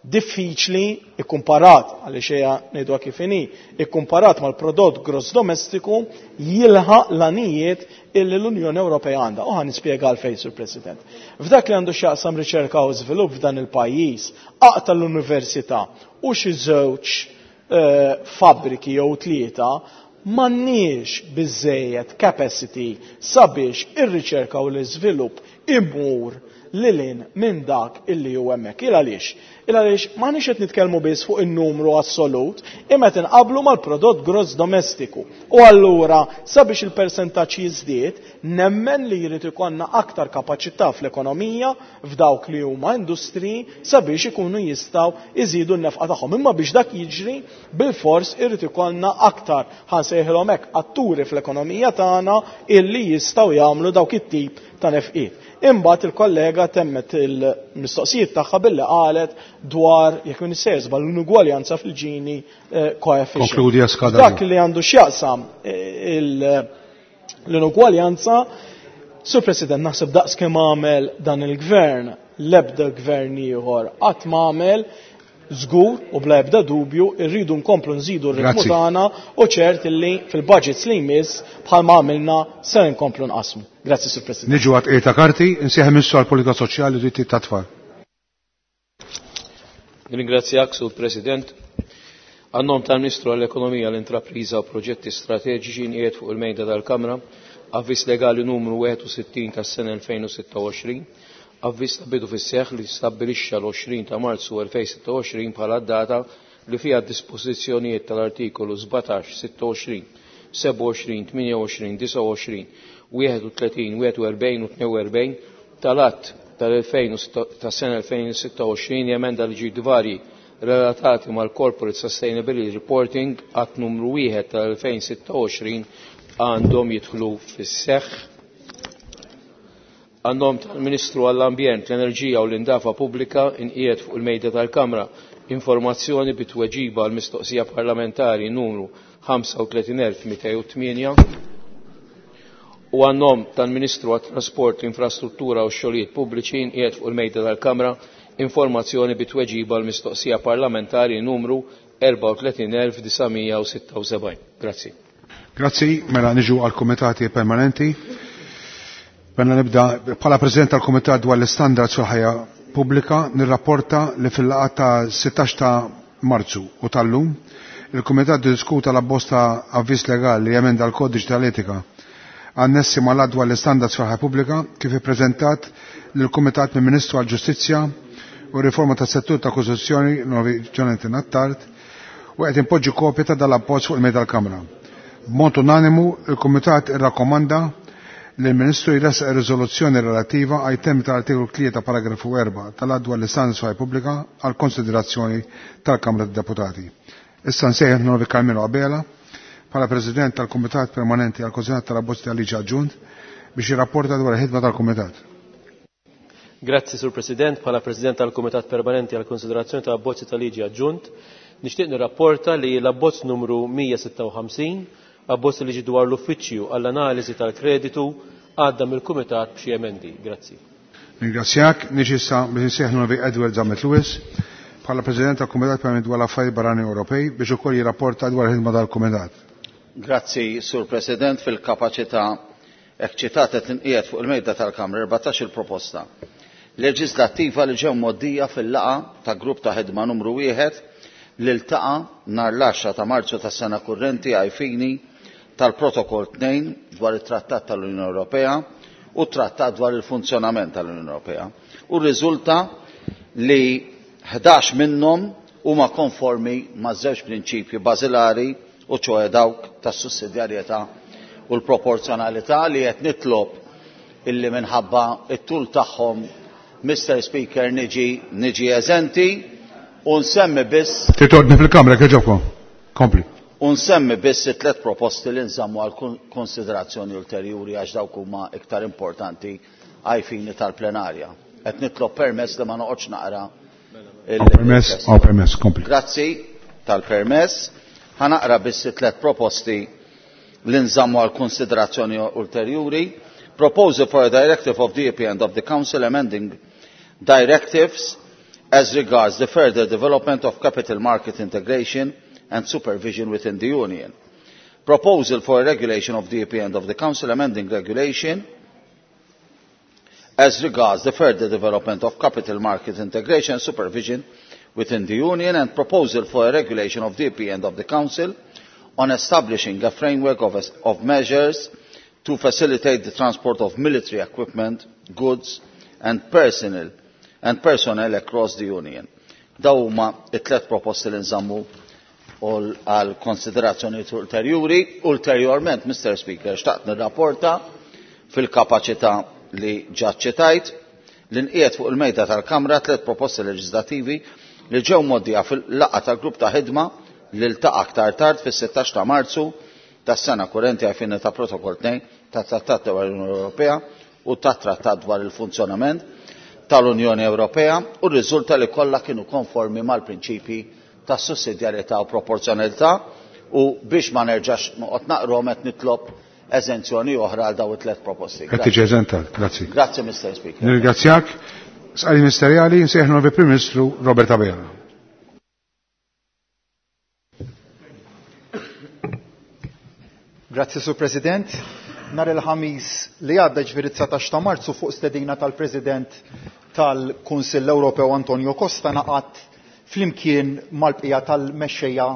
diffiċli ikkumparat, għaliex hija ngħiduha kif inhi, ikkumparat mal-prodott gross domestiku jilħaq l-għanijiet illi l-Unjoni Ewropea għandha. U ħa nispjega għalfejn, Sur President. F'dak li għandu x'jaqsam riċerka u żvilupp f'dan il-pajjiż, aqta l-università u xi żewġ, eh, fabbriki jew tlieta, m'għandniex biżżejjed capacity sabiex ir-riċerka u l-iżvilupp imur lilin minn dak illi hu hemmhekk. Il għaliex? Il għaliex m'aħniex qed nitkellmu biss fuq in-numru assolut, imma qed inqablu mal-prodott gross domestiku. U allura sabiex il-persentaġġ jiżdied, nemmen li jrid ikollna aktar kapaċità fl-ekonomija f'dawk li huma industriji sabiex ikunu jistgħu iżidu n-nefqa tagħhom. Imma biex dak jiġri bil-fors irid ikollna aktar, ħansejħilhom hekk, atturi fl-ekonomija tagħna illi jistgħu jagħmlu dawk it-tip ta' nefqiet. Imbagħad il-kollega temmet il-mistoqsijiet tagħha billi qalet dwar jekk min issejjer l-inugwaljanza fil-Gini, eh, coefficient. Konkludi għaskada. Dak li għandu x'jaqsam, eh, il-, l-inugwaljanza, Sur President, naħseb daqs kemm għamel dan il-gvern, l-ebda gvern ieħor qatt ma għamel, żgur u bla ebda dubju irridu nkomplu nżidu r-ritmu Grazzi. tagħna u ċert illi fil-budgets li jmiss bħalma għamilna se nkomplu nqasmu. Grazzi, Sur President. Niġu għat qiegħda karti, insieħ Ministru għall-Politika Soċjali u Drittijiet tat-Tfal. Ringrazzjak, Sur President. Għan-nom tal-Ministru għall-Ekonomija, l-Intrapriża u Proġetti Strateġiċi nqiegħed fuq il-mejda tal-Kamra avviż legali numru wieħed u sittin tas-sena elfejn u sitta u għoxrin, avviż ta' bidu fis-seħħ li stabbilixxa l-għoxrin ta' Marzu elfejn sitta u għoxrin bħala data li fiha d-dispożizzjonijiet tal-artikolu sbatax, sitta u għoxrin, sebgħa u għoxrin, tmienja u għoxrin, disgħa u għoxrin, wieħed u tletin, wieħed u erbgħin u tnejn u erbgħin tal-att tal-elfejn u sitta, tas-sena elfejn u sitta u għoxrin jemenda liġi varji relatati mal-Corporate Sustainability Reporting Att numru wieħed tal-elfejn sitta u għoxrin għandhom jidħlu fis-seħħ. Għan-nom tal-Ministru għall-Ambjent, l-Enerġija u l-Indafa Pubblika inqiegħed fuq il-mejda tal-Kamra informazzjoni bi tweġiba għal mistoqsija parlamentari numru ħamsa u tletin elf mitejn u tmienja u għan-nom tal-Ministru għat-Trasport, l-Infrastruttura u x-Xogħlijiet Pubbliċi inqiegħed fuq il-mejda tal-Kamra informazzjoni bi tweġiba għal mistoqsija parlamentari numru erbgħa u tletin elf disa' mija u sitta u sebgħin. Grazzi. Grazzi, mela niġu għal komitati permanenti. Mela nibda bħala President tal-Kumitat dwar l-Istandards fil-ħajja pubblika nirrapporta li fil-laqgħa ta' sittax ta' Marzu u tal-lum il-Kumitat diskuta l-abbozz ta' avviż legali li jemenda l-Kodiċ tal-Etika annessi mal-att dwar l-Istandards fil-ħajja pubblika kif ippreżentat lill-Kumitat mill-Ministru għall-Ġustizzja u riforma tas-settur ta' Kostituzzjoni Novi Jonathan Attard u qed impoġġi kopja ta' dal-abbozz fuq il-mejda tal-Kamra. B'mod unanimu il-Kumitat irrakkomanda li l-Ministru jressaq riżoluzzjoni relattiva għaj temi tal-artikolu tlieta paragrafu erba' tal-att dwar l-Istandards fil-ħajja pubblika għal konsiderazzjoni tal-Kamra tad-Deputati. Issa nsejjaħ Novi Carmelo Abela bħala President tal-Kumitat Permanenti għal Konsenat tal-Abbozz tal-Liġi Aġġunt biex jirrapporta dwar il-ħidma tal-Kumitat. Grazzi, Sur President. Bħala President tal-Kumitat Permanenti għal Konsiderazzjoni tal-Abbozzi tal-Liġi Aġġunt, nixtieq nirrapporta li l-abbozz numru mija sitta u ħamsin, abbozz li ġi dwar l-Uffiċċju għall-Analiżi tal-Kreditu, għadda mill-Kumitat b'xi emendi. Grazzi. Ringrazzjak. Niġi issa biex insejjaħ Novi Edward Zammit Lewis bħala President tal-Kumitat Permanenti dwar l-Affarijiet Barranin Ewropej biex ukoll jirrapporta dwar il-ħidma tal-Kumitat. Grazzi, Sur President. Fil-kapaċità eċċitata tinqiegħed fuq il-mejda tal-Kamra erbatax-il proposta leġislattiva li ġew mgħoddija fil-laqgħa ta' grupp ta' ħidma numru wieħed li ltaqa' nhar l-għaxra ta' Marzu tas-sena kurrenti ai fini tal-Protokoll tnejn dwar it-Trattat tal-Unjoni Ewropea u t-Trattat dwar il-funzjonament tal-Unjoni Ewropea. U rriżulta li ħdax minnhom huma konformi ma' żewġ prinċipji bażilari u ċoħe dawk tas-sussidjarjetà u l-proporzjonalità li qed nitlob illi minħabba it-tul tagħhom, Mister Speaker, niġi niġi eżenti u nsemmi biss Titordni fil-kamra kieġobkom. Kompli. U nsemmi biss it-tliet proposti li nżammu għal kon-, konsiderazzjoni ulterjuri għax dawk huma iktar importanti għaj fini tal-plenarja. Qed nitlob permess li ma noqgħodx naqra il- Hawn permess, il-test. hawn permess, kompli. Grazzi tal-permess. Ħa naqra biss it-tliet proposti li nżammu għal konsiderazzjoni ulterjuri. Proposal for a directive of the E P and of the Council amending directives as regards the further development of capital market integration and supervision within the Union. Proposal for a regulation of the E P and of the Council amending regulation as regards the further development of capital market integration and supervision within the Union, and proposal for a regulation of the E P and of the Council on establishing a framework of, of measures to facilitate the transport of military equipment, goods and personnel, and personnel across the Union. Daw huma it-tliet proposti li nżammu għal konsiderazzjoni ulterjuri. Ulterjorment, Mister Speaker, xtaqt nirrapporta fil-kapaċità li ġa ċitajt li nqiegħed fuq il-mejda tal-Kamra tliet proposti leġislattivi li ġew mgħoddija fil-laqgħa tal-grupp ta' ħidma li ltaqa' aktar tard fis-sittax ta' Marzu tas-sena kurrenti għal ta' Protokoll tnejn tat-Trattat tal-Unjoni Ewropea u tat-Trattat dwar il-funzjonament tal-Unjoni Ewropea, u rriżulta li kollha kienu konformi mal-prinċipji ta' sussidjarjetà u proporzjonalità, u biex ma nerġax noqgħod naqrom qed nitlob eżenzjoni oħra għal dawn it-tliet proposti. Qed tiġi eżentat, grazzi. Grazzi, Mister Speaker. Nirringrazzjak. Sqari Ministerjali, nsejħnu l-Prim Ministru Robert Abela. Grazzi, Sur President. Nhar il-ħamis li għadda ġifieri dsatax ta' Marzu fuq stedina tal-President tal-Kunsill Ewropew Antonio Costa naqat flimkien mal-bqija tal-mexxejja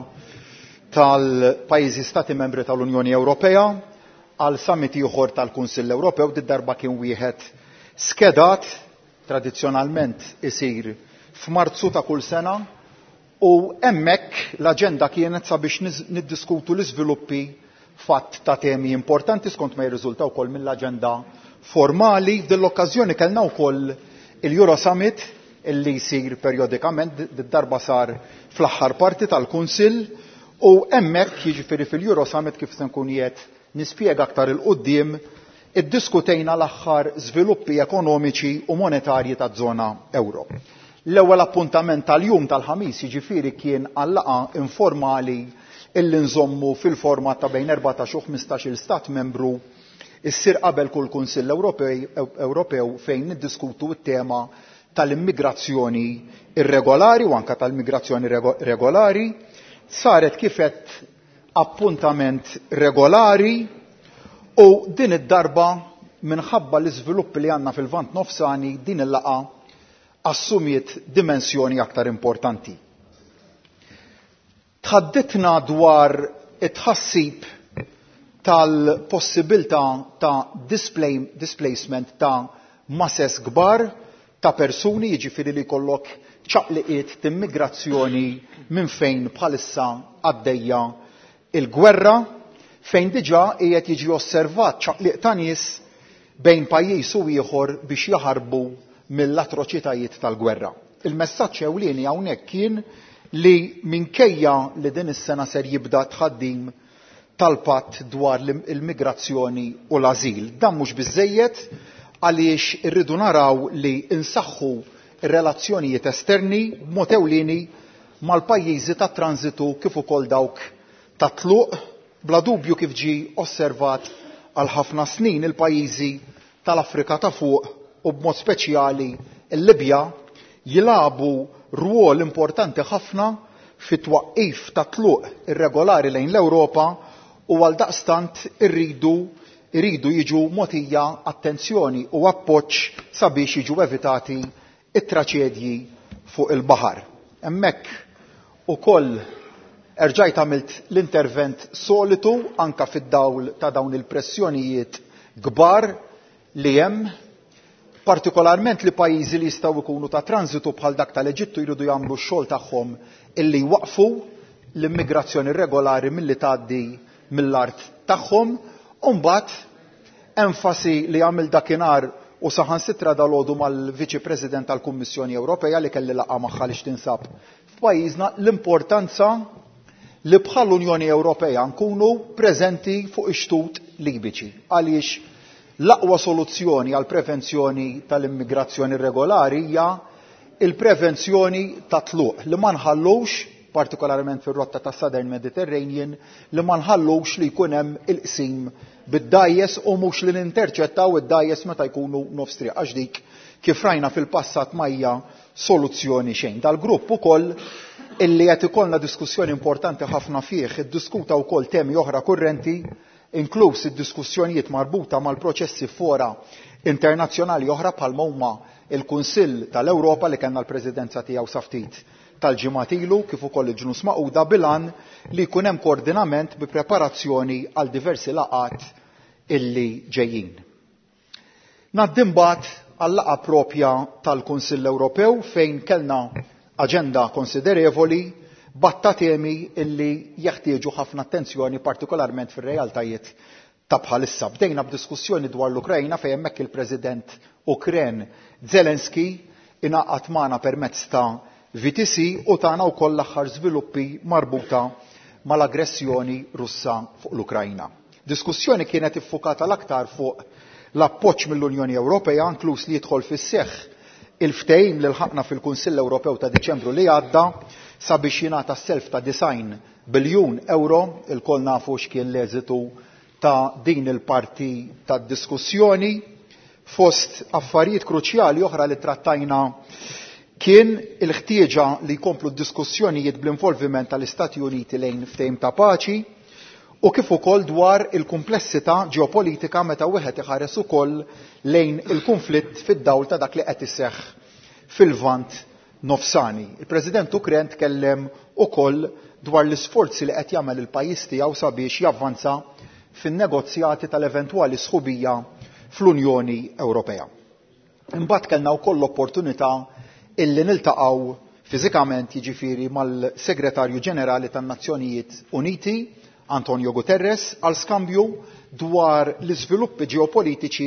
tal-pajjiżi stati membri tal-Unjoni Ewropea għal summit ieħor tal-Kunsill Ewropew. Di darba kien wieħed skedat, tradizzjonalment isir f'Marzu ta' kull sena, u hemmhekk l-aġenda kienet sabiex niz-, niddiskutu l-iżviluppi fatt ta' temi importanti skont ma jirriżulta wkoll mill-aġenda formali. F'din l-okkażjoni kellna wkoll il-Euro Summit illi jsir periodikament, d-darba sar fl-aħħar parti tal-Kunsill u hemmhekk, jiġifieri fil-Euro Summit, kif se nkun qiegħed nispjega aktar 'il quddiem, iddiskutejna l-aħħar żviluppi ekonomiċi u monetarji taż-żona euro. L-ewwel appuntament tal-jum tal-Ħamis, jiġifieri, kien għal-laqgħa informali illi nżommu fil-format ta' bejn erbatax u ħmistax-il stat membru, issir qabel kull Kunsill Ewropew, fejn niddiskutu t-tema tal-immigrazzjoni irregolari u anka tal-migrazzjoni regolari. Saret kifet appuntament regolari u din id-darba, minħabba l-iżviluppi li għandna fil-Lvant Nofsani, din il-laqgħa assumiet dimensjoni aktar importanti. Tħadditna dwar it-tħassib tal-possibilità ta' display, displacement ta' masses kbar ta' persuni, jiġifieri li jkollok ċaqliqiet t'immigrazzjoni minn fejn bħalissa għaddejja il-gwerra, fejn diġà qiegħed jiġi osservat ċaqliq ta' nies bejn pajjiż u ieħor biex jaħarbu mill-atroċitajiet tal-gwerra. Il-messaġġ ewlieni hawnhekk kien li minkejja li din is-sena ser jibda tħaddim tal-patt dwar il-migrazzjoni u l-azil, dan mhux biżejjed, għaliex irridu naraw li insaħħu ir-relazzjonijiet esterni b'mod ewlieni mal-pajjiżi ta' transitu kif ukoll dawk ta' tluq. Bla dubju, kif ġi osservat għal ħafna snin, il-pajjiżi tal-Afrika ta' Fuq u b'mod speċjali l-Libja jilagħbu rwol importanti ħafna fit-twaqqif ta' tluq irregolari lejn l-Ewropa u għal daqstant irridu iridu jiġu mogħtija attenzjoni u appoġġ sabiex jiġu evitati it-traċedji fuq il-baħar. Hemmhekk ukoll erġajt għamilt l-intervent solitu anka fid-dawl ta' dawn il-pressjonijiet kbar li hemm, partikolarment li pajjiżi li jistgħu jkunu ta' transitu bħal dak tal-Eġittu jridu jagħmlu x-xogħol tagħhom illi jwaqfu l-immigrazzjoni regolari milli tgħaddi mill-art tagħhom. U mbagħad enfasi li għamil dakinhar u saħansitra dalgħodu mal-Viċi President tal-Kummissjoni Ewropea li kelli laqgħa magħha li tinsab f'pajjiżna, l-importanza li bħal Unjoni Ewropea nkunu preżenti fuq ix-xtut Libiċi, għaliex l-aqwa soluzzjoni għal prevenzjoni tal-immigrazzjoni regolari hija il-prevenzjoni ta' tluq, li ma nħallux, partikolarment fir-rotta ta' Southern Mediterranean, li ma nħallux li jkun hemm il-qsim bid-dgħajjes u mhux li ninterċettaw id-dgħajjes meta jkunu nofs triq, għax dik, kif rajna fil-passat, ma hija soluzzjoni xejn. Dal-grupp ukoll illi qed ikollna diskussjoni importanti ħafna fih iddiskuta wkoll temi oħra kurrenti, inkluż id-diskussjonijiet marbuta mal-proċessi fora internazzjonali oħra bħalma huma il-Kunsill tal-Ewropa li kellna l-Presidenza tiegħu sa ftit tal-ġimgħat ilu, kif ukoll il-Ġnus Magħquda, bil-għan li jkun hemm koordinament bi preparazzjoni għal diversi laqgħat illi ġejjin. Ngħaddi mbagħad għal-laqgħa propja tal-Kunsill Ewropew, fejn kellna aġenda konsiderevoli b'għadd ta' temi illi jeħtieġu ħafna attenzjoni, partikolarment fir-realtajiet ta' bħalissa. Bdejna b'diskussjoni dwar l-Ukrajna, fejn hemmhekk il-President Ukren Zelensky ingħaqad magħna permezz ta' V T C u tana wkoll l-aħħar żviluppi marbuta mal-aggressjoni Russa fuq l-Ukrajna. Diskussjoni kienet iffukata l-aktar fuq l-appoġġ mill-Unjoni Ewropea, inkluż li jidħol fis-seħħ il-ftehim li lħaqna fil-Kunsill Ewropew ta' Diċembru li għadda sabiex jingħata self ta' disgħin biljun euro. Ilkoll nafu x'kien l-eżitu ta' din il-parti tad diskussjoni. Fost affarijiet kruċjali oħra li trattajna kien il-ħtieġa li jkomplu d-diskussjonijiet bl-involviment tal-Istati Uniti lejn ftehim ta' paċi u kif ukoll dwar il-kumplessità ġeopolitika meta wieħed iħares ukoll lejn il-konflitt fid-dawl ta' dak li qed iseħħ fil-Lvant Nofsani. Il-President Ukren tkellem ukoll dwar l-isforzi li qed jagħmel il-pajjiż tiegħu sabiex javvanza fin-negozjati tal-eventwali sħubija fl-Unjoni Ewropea. Imbagħad kellna wkoll l-opportunità illi niltaqgħu fiżikament, jiġifieri mal-Segretarju Ġenerali tan-Nazzjonijiet Uniti, Antonio Guterres, għal skambju dwar l-iżviluppi ġeopolitiċi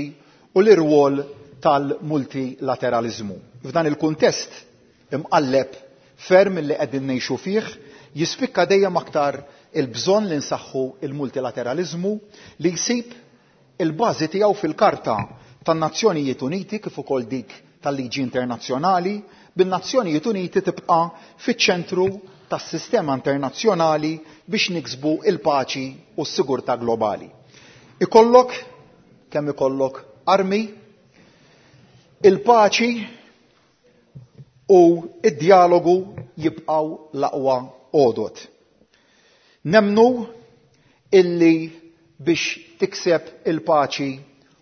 u l-irwol tal-multilateralizmu. F'dan il-kuntest imqalleb ferm li qegħdin ngħixu fih, jispikka dejjem aktar il-bżonn li nsaħħu il-multilateraliżmu li jsib il-bażi tiegħu fil-Karta tan-Nazzjonijiet Uniti kif ukoll dik tal-liġi internazzjonali, bin-Nazzjonijiet Uniti tibqa' fiċ-ċentru tas-sistema internazzjonali biex niksbu il-paċi u s-sigurtà globali. Ikollok kemm ikollok armi, il-paċi u id-dialogu jibqgħu l-aqwa għodod. Nemnu illi biex tikseb il-paċi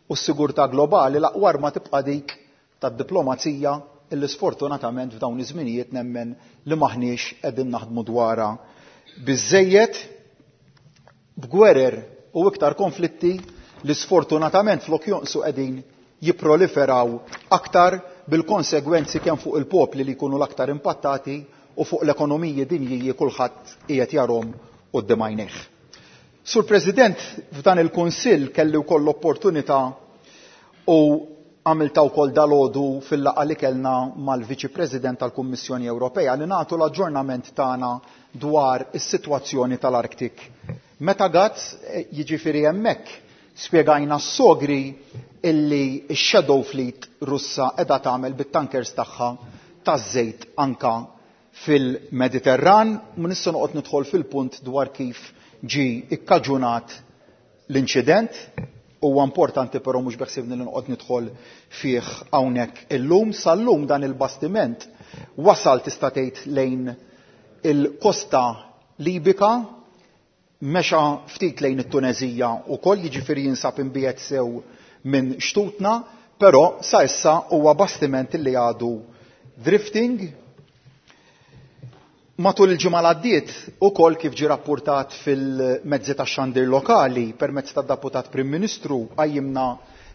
u s-sigurtà globali l-aqwa arma tibqa' dik tad-diplomazija illi sfortunatament f'dawn iż-żminijiet nemmen li maħniex qegħdin naħdmu dwarha biżejjed b'gwerer u iktar konflitti li sfortunatament flok jonqsu qegħdin jipproliferaw aktar bil-konsegwenzi kemm fuq il-popli li jkunu l-aktar impattati u fuq l-ekonomiji dinjiji kulħadd qiegħed jarhom quddiem għajnejh. Sur President, f'dan il-Kunsill kelli wkoll l-opportunità u għamilta wkoll dalodu fil-laqgħa li kellna mal-Viċi President tal-Kummissjoni Ewropea li nagħtu l-aġġornament tagħna dwar is-sitwazzjoni tal-Arctic. Meta Gazz, jiġifieri hemmhekk spjegajna s-sogri illi x-Shadow Fleet Russa qiegħda tagħmel bit-tankers tagħha taż-żejt anka fil-Mediterran, ma nista' noqgħod nidħol fil-punt dwar kif ġi ikkaġunat l-inċident. Huwa importanti però mhux beħsibni li noqgħod nidħol fih hawnhekk illum. Sal-lum dan il-bastiment wasal tista' tgħid lejn il-kosta Libika, mexa ftit lejn it-Tunezija wkoll, jiġifieri jinsab imbiegħed sew minn xtutna, però sa issa huwa bastiment li għadu drifting. Matul il-ġimgħa li għaddiet ukoll kif ġie rappurtat fil-mezzi tax-xandir lokali permezz tad-Deputat Prim Ministru qajjimna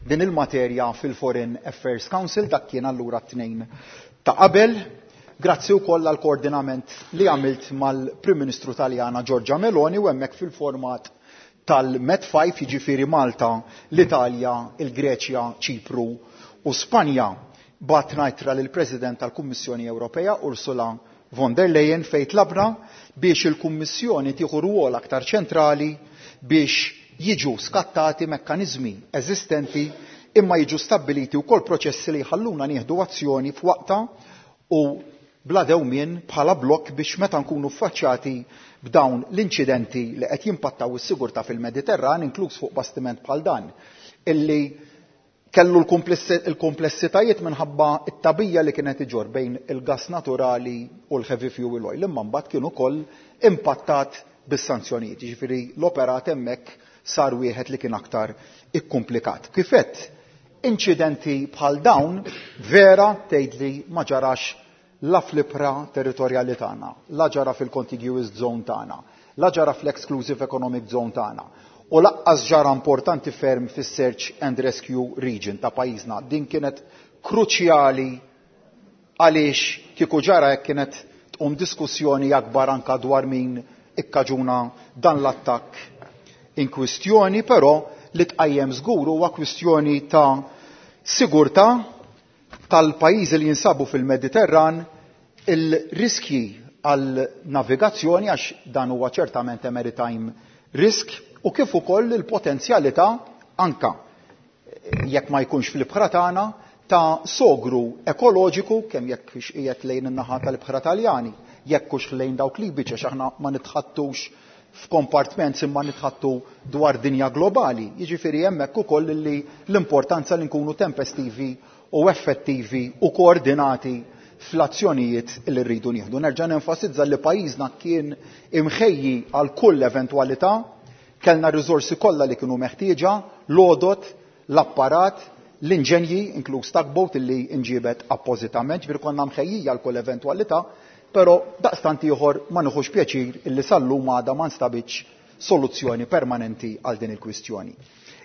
din il-materja fil-Foreign Affairs Council, dak kien allura t-tnejn ta' qabel. Grazzi wkoll għall koordinament li għamilt mal-Prim Ministru Taljana Giorgia Meloni u hemmhekk fil-format tal-Med five, jiġifieri Malta, l-Italja, il-Greċja, Ċipru u Spanja. Batna ittra lill-President tal-Kummissjoni Ewropea Ursula von der Leyen fejn tlabna biex il-Kummissjoni tieħu rwol aktar ċentrali biex jiġu skattati mekkaniżmi eżistenti imma jiġu stabbiliti wkoll proċessi li jħalluna nieħdu azzjoni f'waqta u bla dewmien bħala blokk biex meta nkunu ffaċċjati b'dawn l-inċidenti li qed jimpattaw is-sigurtà fil-Mediterran, inkluż fuq bastiment bħal dan, illi kellu l-komplessitajiet minħabba t-tabija li kienet iġor bejn il-gas naturali u l-heavy fuel oil, imma mbagħad kien ukoll impattat bis-sanzjonijiet. Jiġifieri l-operat hemmhekk sar wieħed li kien aktar ikkumplikat. Kif għedt, inċidenti bħal dawn vera tgħidli ma ġarax la fl-ibħra territorjali tagħna, la ġara fil-contiguous zone tagħna, la ġara fl-exclusive economic zone tagħna. U laqqas ġara importanti ferm fis-search and rescue region ta' pajjiżna. Din kienet kruċjali għaliex kieku ġara hekk kienet tqum diskussjoni akbar anka dwar min ikkaġuna dan l-attakk in kwistjoni, però li tqajjem żgur huwa kwistjoni ta' sigurtà tal-pajjiżi li jinsabu fil-Mediterran, il-riskji għal navigazzjoni għax dan huwa ċertament maritime risk, u kif ukoll il-potenzjalità anka jekk ma jkunx fl-ibħra tagħna ta' sogru ekoloġiku kemm jekk qiegħed lejn in-naħa tal-ibħra Taljani, jekk hux lejn dawk Libiċi, għax aħna ma nitħattux f'kompartment imma nitħattu dwar dinja globali. Jiġifieri hemmhekk ukoll li l-importanza li nkunu tempestivi u effettivi u koordinati fl-azzjonijiet li rridu nieħdu. Nerġa' nenfasizza li pajjiżna kien imħejji għal kull eventwalità, kellna r-riżorsi kollha li kienu meħtieġa, l-għodot, l-apparat, l-inġenji, inkluż tugboat illi inġibet appożitament, ġifieri konna mħejjija għal kull eventwalità, però daqstant ieħor ma nieħux pjaċir illi sal-lum għadha ma nstabitx soluzzjoni permanenti għal din il-kwistjoni.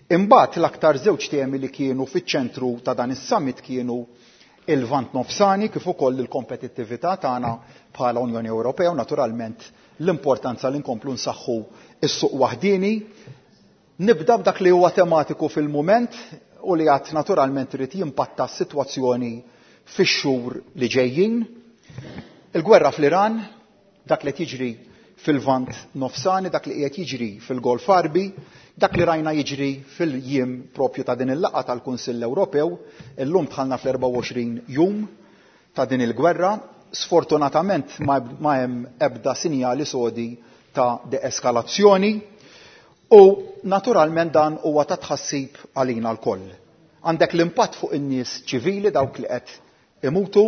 Imbagħad l-aktar żewġ temi li kienu fiċ-ċentru ta' dan is-summit kienu il-Lvant Nofsani kif ukoll il-kompetittività tagħna bħala Unjoni Ewropea u naturalment l-importanza li nkomplu nsaħħu s-suq waħdieni. Nibda b'dak li huwa tematiku fil-mument u li għad naturalment irid jimpatta s-sitwazzjoni fix-xhur li ġejjin. Il-gwerra fl-Iran, dak li qed jiġri fil-Lvant Nofsani, dak li qiegħed jiġri fil-Golf Għarbi, dak li rajna jiġri fil-jiem propju ta' din il-laqgħa tal-Kunsill Ewropew, illum dħalna fl-erbgħa u għoxrin jum ta' din il-gwerra, sfortunatament ma hemm ebda sinjali sodi ta' deeskalazzjoni u naturalment dan huwa ta' tħassib għalina lkoll. Għandek l-impatt fuq in-nies ċivili, dawk li qed imutu,